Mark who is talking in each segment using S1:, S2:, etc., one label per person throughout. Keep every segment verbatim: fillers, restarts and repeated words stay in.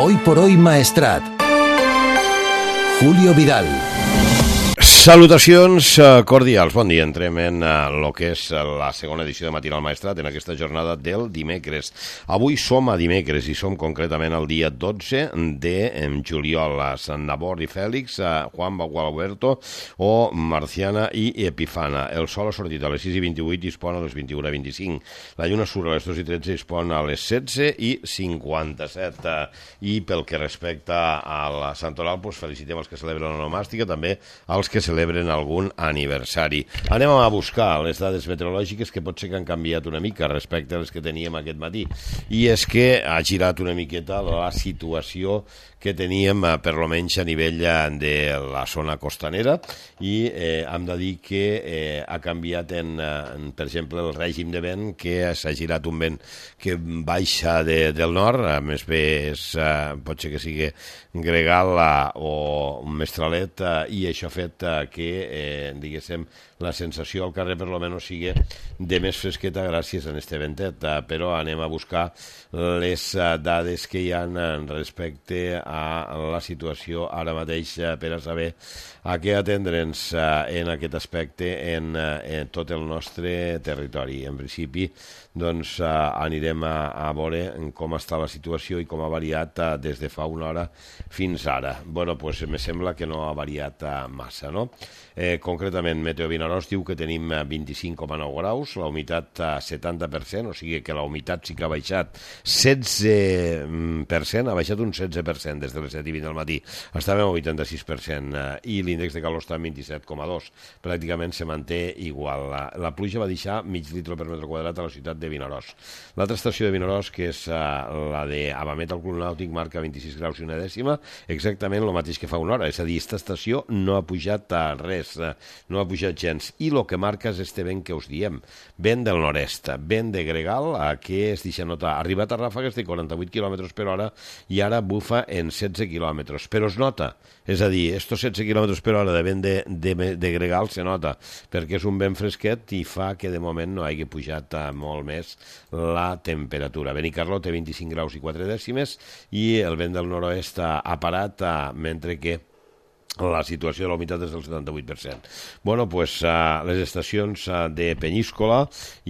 S1: Hoy por hoy Maestrat. Julio Vidal.
S2: Salutacions cordials, bon dia. Entrem en el que és la segona edició de Matinal Maestrat en aquesta jornada del dimecres. Avui som a dimecres i som concretament el dia dotze de juliol. A Sant Nabor i Fèlix, a Juan Gualberto o Marciana i Epifana. El sol ha sortit a les sis i vint-i-vuit i es pon a les vint-i-una i vint-i-cinc. La lluna surt a les dos i tretze i es pon a les setze i cinquanta-set. I pel que respecta a la Santoral, doncs felicitem els que celebren l'onomàstica, també els que celebren algun aniversari. Anem a buscar les dades meteorològiques que pot ser que han canviat una mica respecte a les que teníem aquest matí. I és que ha girat una miqueta la situació que teníem per lo menys a nivell de la zona costanera i eh, hem de dir que eh, ha canviat en, en, per exemple, el règim de vent, que s'ha girat un vent que baixa de, del nord, a més bé és, eh, pot ser que sigui gregal eh, o un mestralet eh, i això ha fet eh, que, eh, diguéssim, la sensació al carrer per lo menys sigui de més fresqueta gràcies a este ventet, eh, però anem a buscar les eh, dades que hi ha respecte a la situació ara mateix eh, per a saber a què atendre'ns eh, en aquest aspecte en, eh, en tot el nostre territori. En principi, doncs eh, anirem a, a veure com està la situació i com ha variat eh, des de fa una hora fins ara. Bueno, doncs me sembla que no ha variat eh, massa, no? Eh, concretament, Meteo Vinaròs diu que tenim vint-i-cinc coma nou graus, la humitat a setanta per cent, o sigui que la humitat sí que ha baixat setze per cent, ha baixat un setze per cent des de les set i vint del matí. Estàvem al vuitanta-sis per cent eh, i l'índex de calor està en vint-i-set coma dos. Pràcticament se manté igual. La, la pluja va deixar mig litre per metre quadrat a la ciutat de Vinaròs. L'altra estació de Vinaròs, que és eh, la de Abamet al Club Nàutic, marca vint-i-sis graus i una dècima, exactament el mateix que fa una hora. És a dir, aquesta estació no ha pujat a res, eh, no ha pujat gens. I el que marca és este vent que us diem, vent del nord-est, vent de gregal, eh, que es deixa notar. Ha arribat a ràfegues de quaranta-vuit quilòmetres per hora i ara bufa en setze quilòmetres, però es nota, és a dir, estos setze quilòmetres per hora de vent de, de, de gregal se nota, perquè és un vent fresquet i fa que de moment no hagi pujat molt més la temperatura. Benicarló té vint-i-cinc graus i quatre dècimes i el vent del nord-oest ha parat, mentre que la situació de la humitat és del setanta-vuit per cent. Bueno, pues uh, les estacions uh, de Penyíscola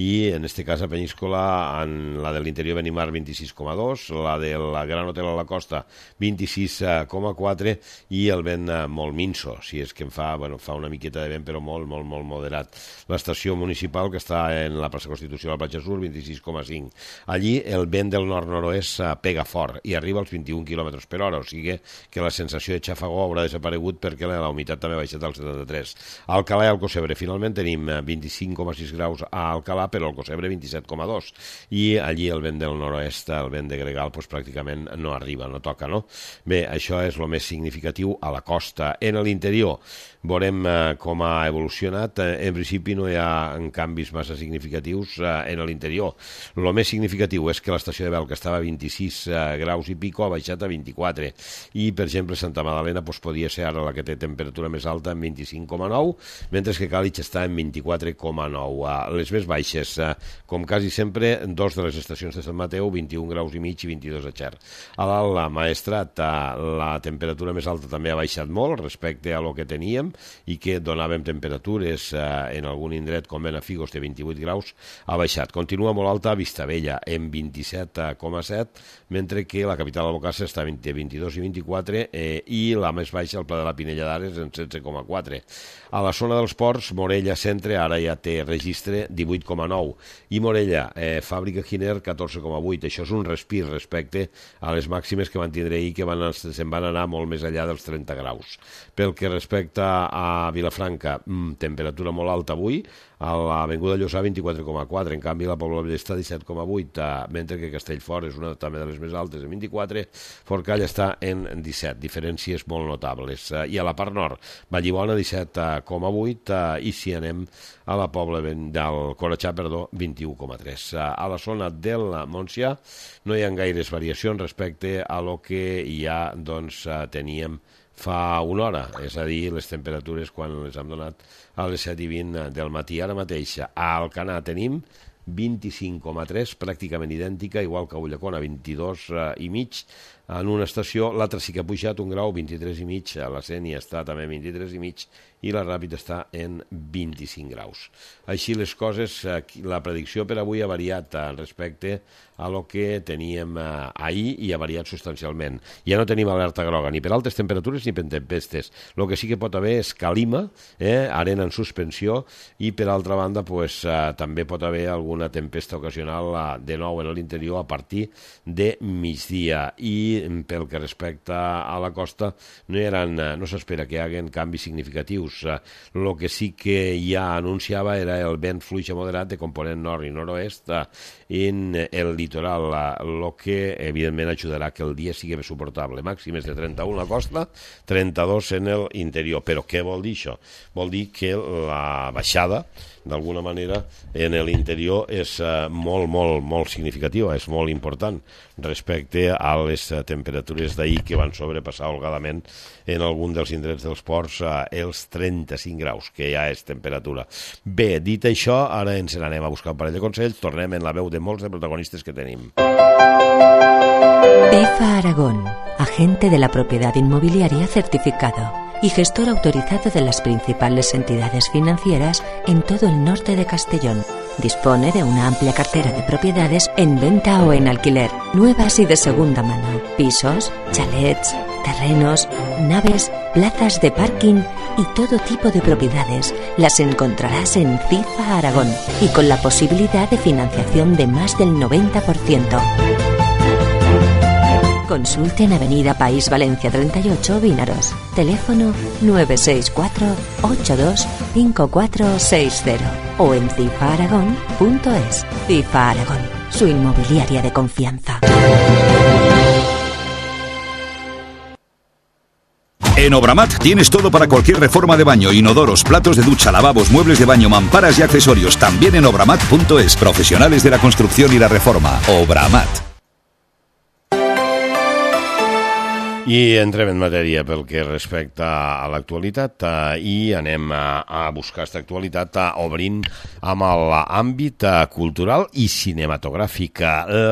S2: i en este cas a Penyíscola en la de l'interior Benimar vint-i-sis coma dos, la del Gran Hotel a la Costa vint-i-sis coma quatre i el vent uh, molt minso, si és que em fa, bueno, fa una miqueta de vent però molt, molt, molt moderat. L'estació municipal que està en la plaça Constitució de la Platja Sur vint-i-sis coma cinc. Allí el vent del nord-nord-oest uh, pega fort i arriba als vint-i-un quilòmetres per hora, o sigui que la sensació de xafagó haurà desaparegut perquè la humitat també ha baixat al setanta-tres. A Alcalà i Alcocebre finalment tenim vint-i-cinc coma sis graus a Alcalà, però a Alcocebre vint-i-set coma dos. I allí el vent del nord-oest, el vent de gregal, doncs pràcticament no arriba, no toca, no? Bé, això és el més significatiu a la costa. En l'interior veurem eh, com ha evolucionat. En principi no hi ha canvis massa significatius eh, en l'interior. El més significatiu és que l'estació de Bel, que estava a vint-i-sis eh, graus i pico, ha baixat a vint-i-quatre. I, per exemple, Santa Magdalena doncs, podia ser ara la que té temperatura més alta en vint-i-cinc coma nou, mentre que Càlig està en vint-i-quatre coma nou. Les més baixes, com quasi sempre, dos de les estacions de Sant Mateu, vint-i-un graus i mig i vint-i-dos a Xert. A dalt, la Maestrat, la temperatura més alta també ha baixat molt respecte a lo que teníem i que donàvem temperatures en algun indret com Benafigos de vint-i-vuit graus, ha baixat. Continua molt alta a Vistabella, en vint-i-set coma set, mentre que la capital d'Albocàsser està entre vint-i-dos i vint-i-quatre eh, i la més baixa, el Pla de la Pinella d'Ares, en setze coma quatre. A la zona dels ports, Morella Centre ara ja té registre divuit coma nou i Morella, eh, Fàbrica Giner, catorze coma vuit. Això és un respir respecte a les màximes que van tindre ahir, que van, se'n van anar molt més enllà dels trenta graus. Pel que respecta a Vilafranca, mmm, temperatura molt alta avui, a l'Avinguda Llossà vint-i-quatre coma quatre, en canvi la Pobla Ballester disset coma vuit, mentre que Castellfort és una també de les més altes en vint-i-quatre, Forcall està en disset, diferències molt notables. I a la part nord, Vallibona disset coma vuit i si anem a la Pobla del Corretxà, perdó, vint-i-u coma tres. A la zona del Montsià no hi ha gaires variacions respecte a lo que ja doncs, teníem fa una hora, és a dir, les temperatures quan les hem donat a les set i vint del matí. Ara mateix a Alcanar tenim vint-i-cinc coma tres, pràcticament idèntica, igual que a Ulldecona, vint-i-dos i mig en una estació. L'altra sí que ha pujat un grau, vint-i-tres i mig, a la Sénia està també vint-i-tres i mig, i la Ràpid està en vint-i-cinc graus. Així les coses, la predicció per avui ha variat respecte a lo que teníem ahir i ha variat substancialment. Ja no tenim alerta groga ni per altes temperatures ni per tempestes. El que sí que pot haver és calima, eh, arena en suspensió, i per altra banda pues, eh, també pot haver alguna tempesta ocasional eh, de nou en l'interior a partir de migdia. I pel que respecta a la costa no, eren, no s'espera que hi hagin canvis significatius. El que sí que ja anunciava era el vent fluix a moderat de component nord i nord-oest en el litoral, el que evidentment ajudarà que el dia sigui més suportable. Màximes de trenta-u a la costa, trenta-dos en l'interior. Però què vol dir això? Vol dir que la baixada d'alguna manera en l'interior és molt, molt, molt significativa, és molt important respecte a les temperatures d'ahir que van sobrepassar holgadament en algun dels indrets dels ports els trenta-cinc graus, que ja és temperatura. Bé, dit això, ara ens n'anem a buscar un parell de consells, tornem en la veu de molts de protagonistes que tenim.
S1: EFA Aragón, agente de la propiedad inmobiliaria certificado y gestor autorizado de las principales entidades financieras en todo el norte de Castellón. Dispone de una amplia cartera de propiedades en venta o en alquiler, nuevas y de segunda mano, pisos, chalets, terrenos, naves, plazas de parking y todo tipo de propiedades. Las encontrarás en CIFA Aragón y con la posibilidad de financiación de más del noventa por ciento. Consulte en Avenida País Valencia treinta y ocho, Vinaros. Teléfono nueve seis cuatro, ocho dos, cinco cuatro seis cero o en cifa aragón punto es. CIFA Aragón, su inmobiliaria de confianza.
S3: En Obramat tienes todo para cualquier reforma de baño, inodoros, platos de ducha, lavabos, muebles de baño, mamparas y accesorios. También en obramat punto es. Profesionales de la construcción y la reforma. Obramat.
S2: I entrem en matèria pel que respecta a l'actualitat eh, i anem a, a buscar aquesta actualitat eh, obrint amb l'àmbit eh, cultural i cinematogràfic.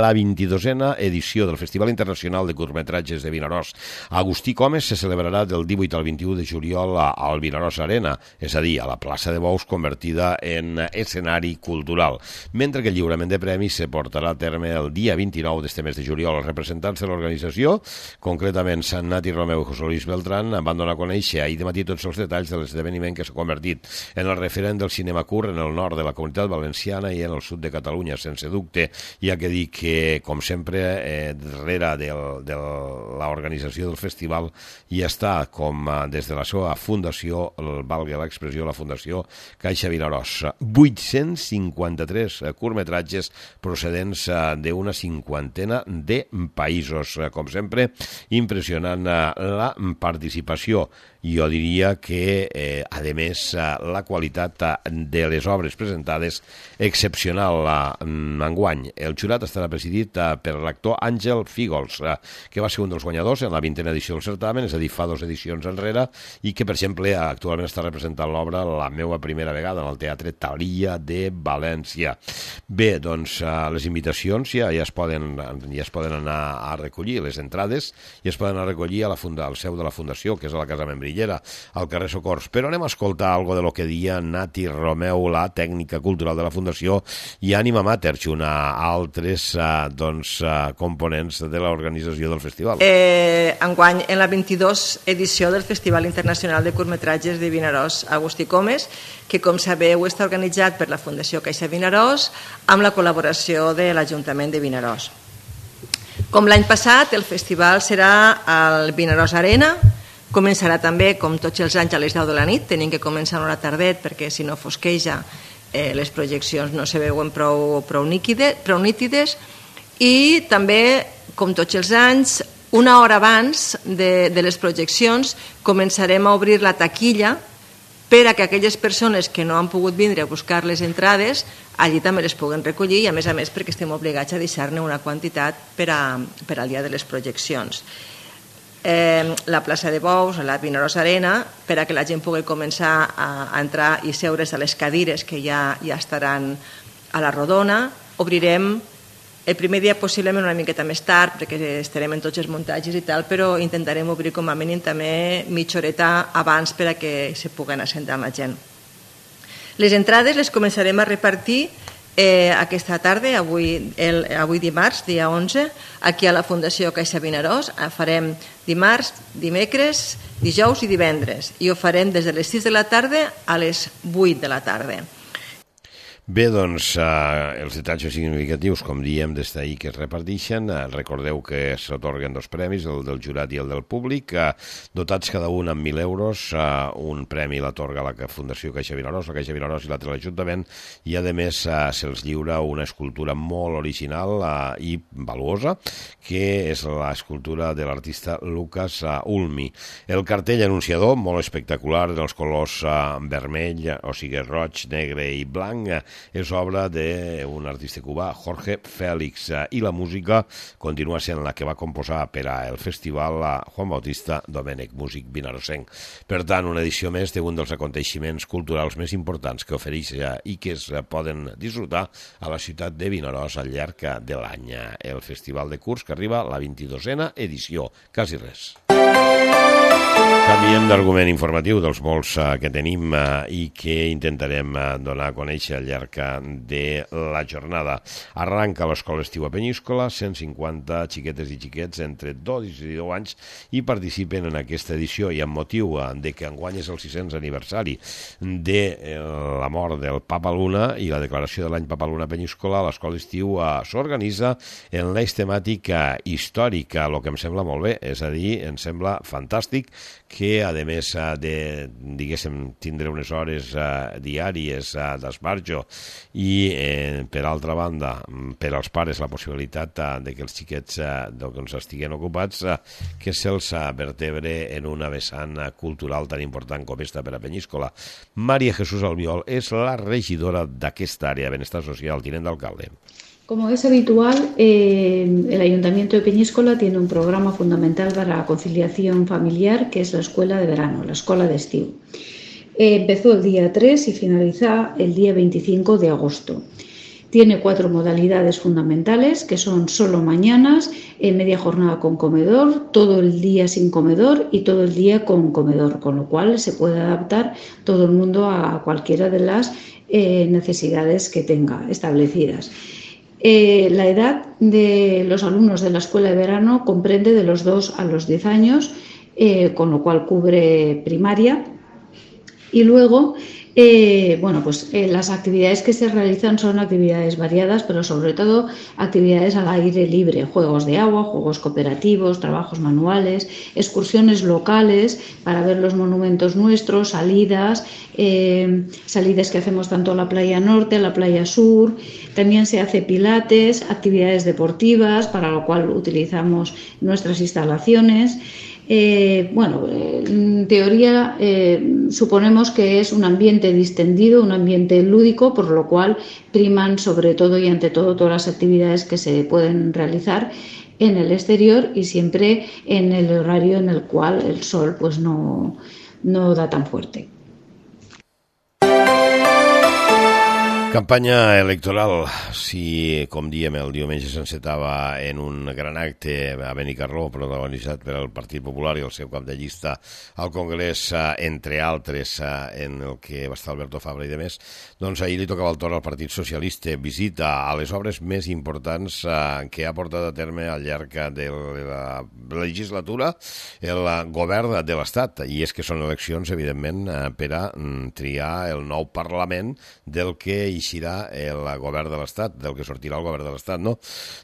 S2: La vint-i-dosena edició del Festival Internacional de Curtmetratges de Vinaròs Agustí Comes se celebrarà del divuit al vint-i-u de juliol al Vinaròs Arena, és a dir, a la plaça de Bous convertida en escenari cultural, mentre que el lliurament de premis se portarà a terme el dia vint-i-nou d'este mes de juliol. Els representants de l'organització, concretament Sant Nati Romeu i José Luis Beltrán, van donar a conèixer ahir de matí tots els detalls de l'esdeveniment que s'ha convertit en el referent del cinema curt en el nord de la Comunitat Valenciana i en el sud de Catalunya, sense dubte. Hi ha que dir que, com sempre, eh, darrere del, de l'organització del festival hi està, com eh, des de la seva fundació, el, valga l'expressió, la Fundació Caixa Vinaròs, vuit-cents cinquanta-tres curtmetratges procedents eh, d'una cinquantena de països. Eh, com sempre, impressionant la participació. Jo diria que, eh, a més, la qualitat de les obres presentades excepcional enguany. El jurat estarà presidit per l'actor Àngel Fígols, que va ser un dels guanyadors en la vintena edició del certamen, és a dir, fa dues edicions enrere, i que, per exemple, actualment està representant l'obra La meva primera vegada en el Teatre Thalia de València. Bé, doncs, les invitacions ja, ja, es poden, ja es poden anar a recollir, les entrades, i es poden anar a recollir a la funda, al seu de la Fundació, que és a la Casa Membrillera, al carrer Socors. Però anem a escoltar algo de lo que dia Nati Romeu, la tècnica cultural de la Fundació, i Ànima Mater, junt a altres uh, doncs, uh, components de l'organització del festival.
S4: Eh, enguany, en la vint-i-dos edició del Festival Internacional de Curtmetratges de Vinaròs Agustí Comes, que, com sabeu, està organitzat per la Fundació Caixa Vinaròs amb la col·laboració de l'Ajuntament de Vinaròs. Com l'any passat, el festival serà al Vinaròs Arena. Començarà també, com tots els anys, a les deu de la nit. Tenim que començar una hora tardet perquè, si no fosqueja, eh, les projeccions no se veuen prou, prou, níquides, prou nítides. I també, com tots els anys, una hora abans de, de les projeccions començarem a obrir la taquilla per a que aquelles persones que no han pogut vindre a buscar les entrades allí també les puguen recollir, i a més a més perquè estem obligats a deixar-ne una quantitat per, a, per al dia de les projeccions. Eh, la plaça de Bous, la Vinaròs Arena, per a que la gent pugui començar a, a entrar i seure's a les cadires que ja, ja estaran a la Rodona. Obrirem el primer dia possiblement una miqueta més tard, perquè estarem en tots els muntatges i tal, però intentarem obrir com a mínim també mitja horeta abans per a que se puguen assentar la gent. Les entrades les començarem a repartir eh, aquesta tarda, avui, el, avui dimarts, dia onze, aquí a la Fundació Caixa Vinaròs. Farem dimarts, dimecres, dijous i divendres, i ho farem des de les sis de la tarda a les vuit de la tarda.
S2: Bé, doncs, eh, els detalls significatius, com diem, des d'ahir que es reparteixen. Eh, recordeu que s'atorguen dos premis, el del jurat i el del públic, eh, dotats cada un amb mil euros. Eh, un premi l'atorga la Fundació Caixa Vinaròs, la Caixa Vinaròs i l'altre l'Ajuntament, i a més eh, se'ls lliura una escultura molt original eh, i valuosa, que és l'escultura de l'artista Lucas eh, Ulmi. El cartell anunciador, molt espectacular, dels colors eh, vermell, o sigui, roig, negre i blanc, eh, és obra d'un artista cubà, Jorge Félix, i la música continua sent la que va composar per al festival Juan Bautista Domènech, músic vinarosenc. Per tant, una edició més d'un dels aconteixements culturals més importants que ofereix i que es poden disfrutar a la ciutat de Vinaròs al llarg de l'any. El Festival de Curs, que arriba a la vint-i-dosena edició. Quasi res. Canviem d'argument informatiu dels molts uh, que tenim uh, i que intentarem uh, donar a conèixer al llarg de la jornada. Arranca l'escola estiu a Penyíscola, cent cinquanta xiquetes i xiquets entre dos i deu anys i participen en aquesta edició, i amb motiu uh, de que enguany és el sis-cents aniversari de uh, la mort del Papa Luna i la declaració de l'any Papa Luna a Penyíscola, l'escola estiu uh, s'organitza en l'eix temàtic uh, històric, el que em sembla molt bé, és a dir, em sembla fantàstic que, a més de, diguéssim, tindre unes hores uh, diàries uh, d'esbarjo i, eh, per altra banda, per als pares la possibilitat uh, de que els xiquets uh, doncs, estiguen ocupats, uh, que se'ls uh, vertebre en una vessant uh, cultural tan important com esta per a Penyíscola. María Jesús Albiol és la regidora d'aquesta àrea de benestar social, tinent d'alcalde.
S5: Como es habitual, eh, el Ayuntamiento de Peñíscola tiene un programa fundamental para la conciliación familiar, que es la escuela de verano, la escuela de estiu. Eh, empezó el día tres y finaliza el día veinticinco de agosto. Tiene cuatro modalidades fundamentales, que son solo mañanas, eh, media jornada con comedor, todo el día sin comedor y todo el día con comedor, con lo cual se puede adaptar todo el mundo a cualquiera de las eh, necesidades que tenga establecidas. Eh, la edad de los alumnos de la escuela de verano comprende de los dos a los diez años, eh, con lo cual cubre primaria. Y luego, eh, bueno, pues eh, las actividades que se realizan son actividades variadas, pero sobre todo actividades al aire libre, juegos de agua, juegos cooperativos, trabajos manuales, excursiones locales para ver los monumentos nuestros, salidas, eh, salidas que hacemos tanto a la playa norte, a la playa sur. También se hace pilates, actividades deportivas, para lo cual utilizamos nuestras instalaciones. Eh, bueno, en teoría eh, suponemos que es un ambiente distendido, un ambiente lúdico, por lo cual priman sobre todo y ante todo todas las actividades que se pueden realizar en el exterior y siempre en el horario en el cual el sol pues no, no da tan fuerte.
S2: Campanya electoral. Si, com diem, el diumenge s'encetava en un gran acte a Benicarló protagonitzat per el Partit Popular i el seu cap de llista al Congrés, entre altres, en el que va estar Alberto Fabra i demés, doncs ahir li tocava el torn al Partit Socialista, visita a les obres més importants que ha portat a terme al llarg de la legislatura el govern de l'Estat, i és que són eleccions, evidentment, per a triar el nou Parlament del que eixirà el govern de l'Estat, del que sortirà el govern de l'Estat, no?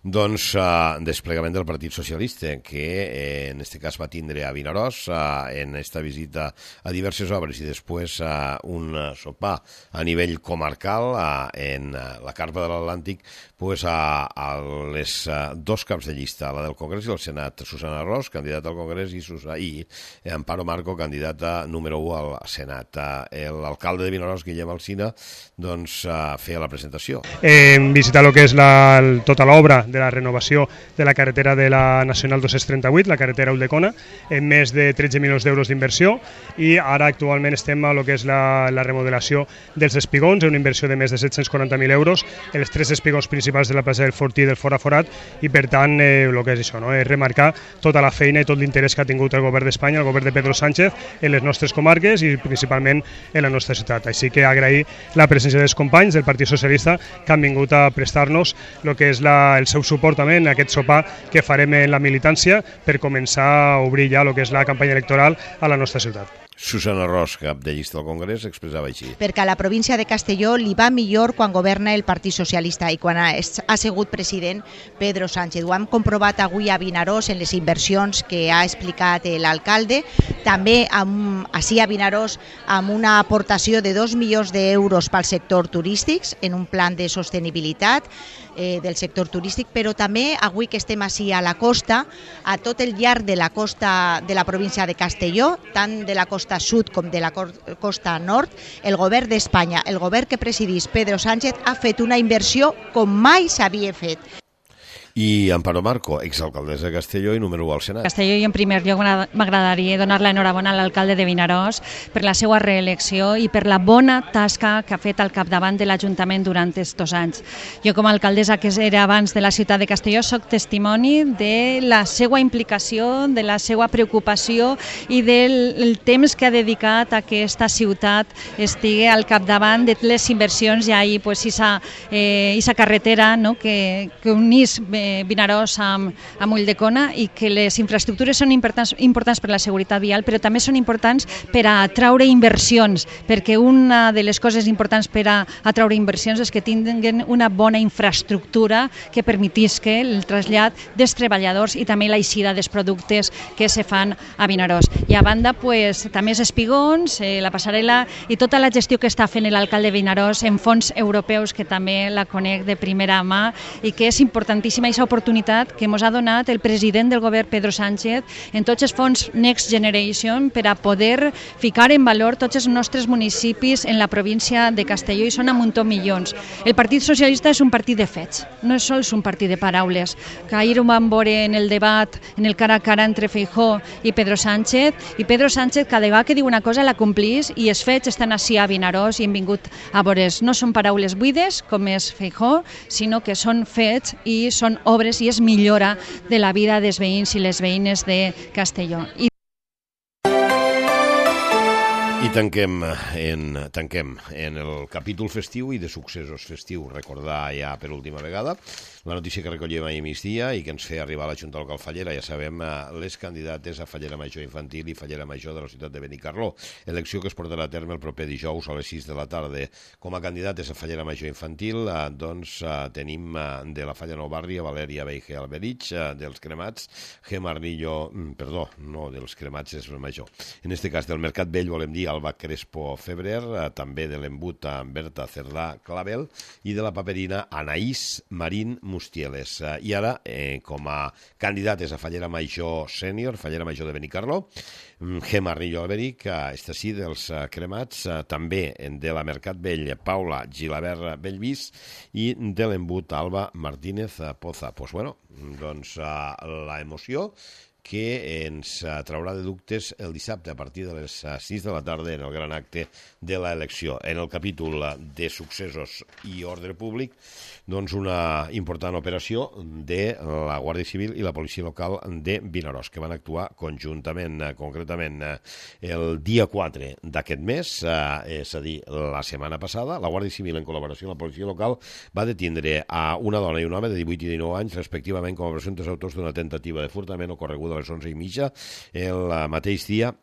S2: Doncs uh, desplegament del Partit Socialista, que eh, en aquest cas va tindre a Vinaròs uh, en esta visita a diverses obres i després uh, un uh, sopar a nivell comarcal uh, en uh, la Carpa de l'Atlàntic, pues, a, a les uh, dos caps de llista, la del Congrés i el Senat, Susana Ros, candidata al Congrés, i, Susana, i Amparo Marco, candidata número u al Senat. Uh, L'alcalde de Vinaròs, Guillem Alsina, doncs uh, a fer la presentació.
S6: Hem visitat el que és la, tota l'obra de la renovació de la carretera de la Nacional dos-cents trenta-vuit, la carretera Ulldecona, amb més de tretze milions d'euros d'inversió, i ara actualment estem a lo que és la, la remodelació dels espigons, una inversió de més de set-cents quaranta mil euros, els tres espigons principals de la plaça del Fortí i del Fora Forat, i per tant eh, el que és això, no? És remarcar tota la feina i tot l'interès que ha tingut el govern d'Espanya, el govern de Pedro Sánchez, en les nostres comarques i principalment en la nostra ciutat. Així que agrair la presència dels companys del Partit Socialista que han vingut a prestar-nos el que és la, el seu suport també en aquest sopar que farem en la militància per començar a obrir ja el que és la campanya electoral a la nostra ciutat.
S2: Susana Ros, cap de llista del Congrés, expressava així.
S7: Perquè a la província de Castelló li va millor quan governa el Partit Socialista i quan ha, ha sigut president Pedro Sánchez. Ho hem comprovat avui a Vinaròs en les inversions que ha explicat l'alcalde. També amb, així a Vinaròs amb una aportació de dos milions d'euros pel sector turístic en un plan de sostenibilitat eh, del sector turístic, però també avui que estem així a la costa, a tot el llarg de la costa de la província de Castelló, tant de la costa sud com de la costa nord, el govern d'Espanya, el govern que presidís Pedro Sánchez, ha fet una inversió com mai s'havia fet.
S2: I Amparo Marco, exalcaldessa de Castelló i número u al Senat.
S8: Castelló, i en primer lloc m'agradaria donar l'enhorabona a l'alcalde de Vinaròs per la seva reelecció i per la bona tasca que ha fet al capdavant de l'Ajuntament durant estos anys. Jo com a alcaldessa que era abans de la ciutat de Castelló soc testimoni de la seva implicació, de la seva preocupació i del temps que ha dedicat a que aquesta ciutat estigui al capdavant de les inversions. Hi ha ahí pues, esa, eh, esa carretera, no? que, que unís Vinaròs amb, amb Ulldecona, i que les infraestructures són importants, importants per la seguretat vial, però també són importants per a atraure inversions, perquè una de les coses importants per a atraure inversions és que tinguin una bona infraestructura que permetisca el trasllat dels treballadors i també l'eixida dels productes que se fan a Vinaròs. I a banda, pues, també els espigons, eh, la passarel·la i tota la gestió que està fent l'alcalde de Vinaròs en fons europeus, que també la conec de primera mà i que és importantíssima aquesta oportunitat que ens ha donat el president del govern Pedro Sánchez en tots els fons Next Generation per a poder ficar en valor tots els nostres municipis en la província de Castelló, i són a muntó milions. El Partit Socialista és un partit de fets, no és sols un partit de paraules, que ahir ho vam veure en el debat, en el cara a cara entre Feijóo i Pedro Sánchez, i Pedro Sánchez cada vegada que diu una cosa la complís, i els fets estan així a Vinaròs i hem vingut a veure. No són paraules buides, com és Feijóo, sinó que són fets i són obres i és millora de la vida dels veïns i les veïnes de Castelló. I
S2: I tanquem en, tanquem en el capítol festiu i de successos festius. Recordar ja per última vegada la notícia que recollíem ahir migdia i que ens feia arribar a la Junta Local Fallera. Ja sabem les candidates a Fallera Major Infantil i Fallera Major de la ciutat de Benicarló. Elecció que es portarà a terme el proper dijous a les sis de la tarda. Com a candidates a Fallera Major Infantil, doncs tenim de la Falla Nou Barri a Valèria Beige Alberich, dels Cremats, Gemma Arnillo, perdó, no, dels Cremats és major. En este cas del Mercat Vell volem dir Alba Crespo Febrer, també de l'Embut Berta Cerdà Clavel i de la Paperina Anaïs Marín Mustieles. I ara, eh, com a candidates a Fallera Major Sènior, Fallera Major de Benicarló, Gemma Arnillo Alberich, està sí dels Cremats, també de la Mercat Vell, Paula Gilabert Bellvis, i de l'Embut Alba Martínez Poza. Pues bueno, doncs la emoció que ens traurà de dubtes el dissabte a partir de les sis de la tarda en el gran acte de l'elecció. En el capítol de successos i ordre públic, doncs una important operació de la Guàrdia Civil i la Policia Local de Vinaròs, que van actuar conjuntament, concretament el dia quatre d'aquest mes, és a dir, la setmana passada. La Guàrdia Civil, en col·laboració amb la Policia Local, va detindre a una dona i un home de divuit i dinou anys, respectivament, com a presumptes autors d'una tentativa de furtament ocorreguda a les onze i mitja el mateix dia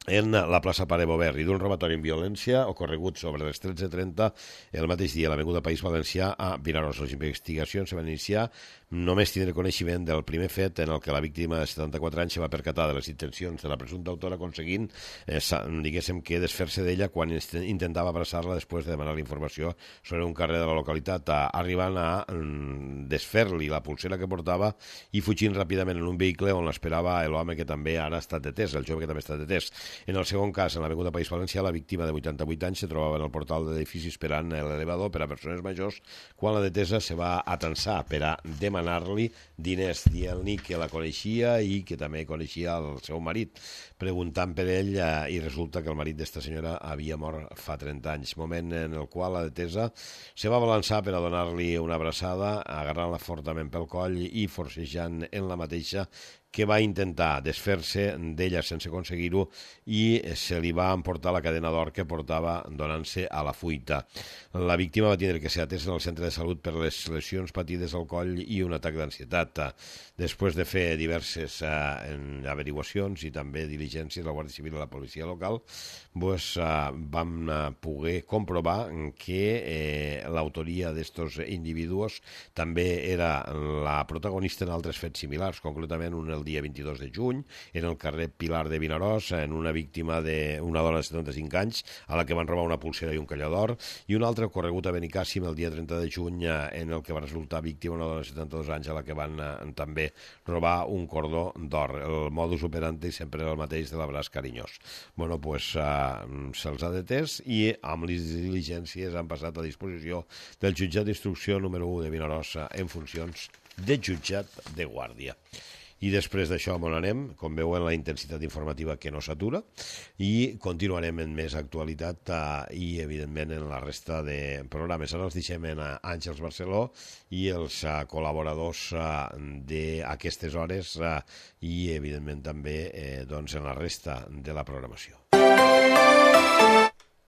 S2: en la plaça Pare Bover, i d'un robatori en violència ocorregut sobre les tretze trenta el mateix dia a l'Avinguda País Valencià a Vinaròs. Les investigacions se van iniciar només tindre coneixement del primer fet en el que la víctima de setanta-quatre anys se va percatar de les intencions de la presumpta autora, aconseguint, eh, diguéssim, que desfer-se d'ella quan intentava abraçar-la després de demanar la informació sobre un carrer de la localitat, arribant a mm, desfer-li la pulsera que portava i fugint ràpidament en un vehicle on l'esperava l'home que també ara ha estat detès, el jove que també ha estat detès. En el segon cas, en l'avinguda País Valencià, la víctima de vuitanta-vuit anys se trobava en el portal de l'edifici esperant l'elevador per a persones majors quan la detesa se va atensar per a demanar-li diners, dient-li que la coneixia i que també coneixia el seu marit, preguntant per ell eh, i resulta que el marit d'esta senyora havia mort fa trenta anys, moment en el qual la detesa se va balançar per a donar-li una abraçada, agarrant-la fortament pel coll i forcejant en la mateixa, que va intentar desfer-se d'ella sense aconseguir-ho i se li va emportar la cadena d'or que portava donant-se a la fuita. La víctima va tindre que ser atesa en el centre de salut per les lesions patides al coll i un atac d'ansietat. Després de fer diverses eh, averiguacions i també diligències a la Guàrdia Civil i a la policia local, pues, eh, vam eh, poder comprovar que eh, l'autoria d'estos individus també era la protagonista en altres fets similars, concretament un el dia vint-i-dos de juny, en el carrer Pilar de Vinaròs, en una víctima d'una dona de setanta-cinc anys a la que van robar una pulsera i un collar d'or, i un altre ocorregut a Benicàssim el dia trenta de juny, en el que va resultar víctima una dona de setanta-dos anys a la que van eh, també robar un cordó d'or. El modus operandi sempre era el mateix de l'abraç carinyós. Bueno, pues eh, se'ls ha detès i amb les diligències han passat a disposició del jutjat d'instrucció número u de Vinaròs en funcions de jutjat de guàrdia. I després d'això on anem, com veuen, la intensitat informativa que no s'atura, i continuarem en més actualitat eh, i, evidentment, en la resta de programes. Ara els deixem en Àngels Barceló i els eh, col·laboradors eh, d'aquestes hores eh, i, evidentment, també eh, doncs, en la resta de la programació.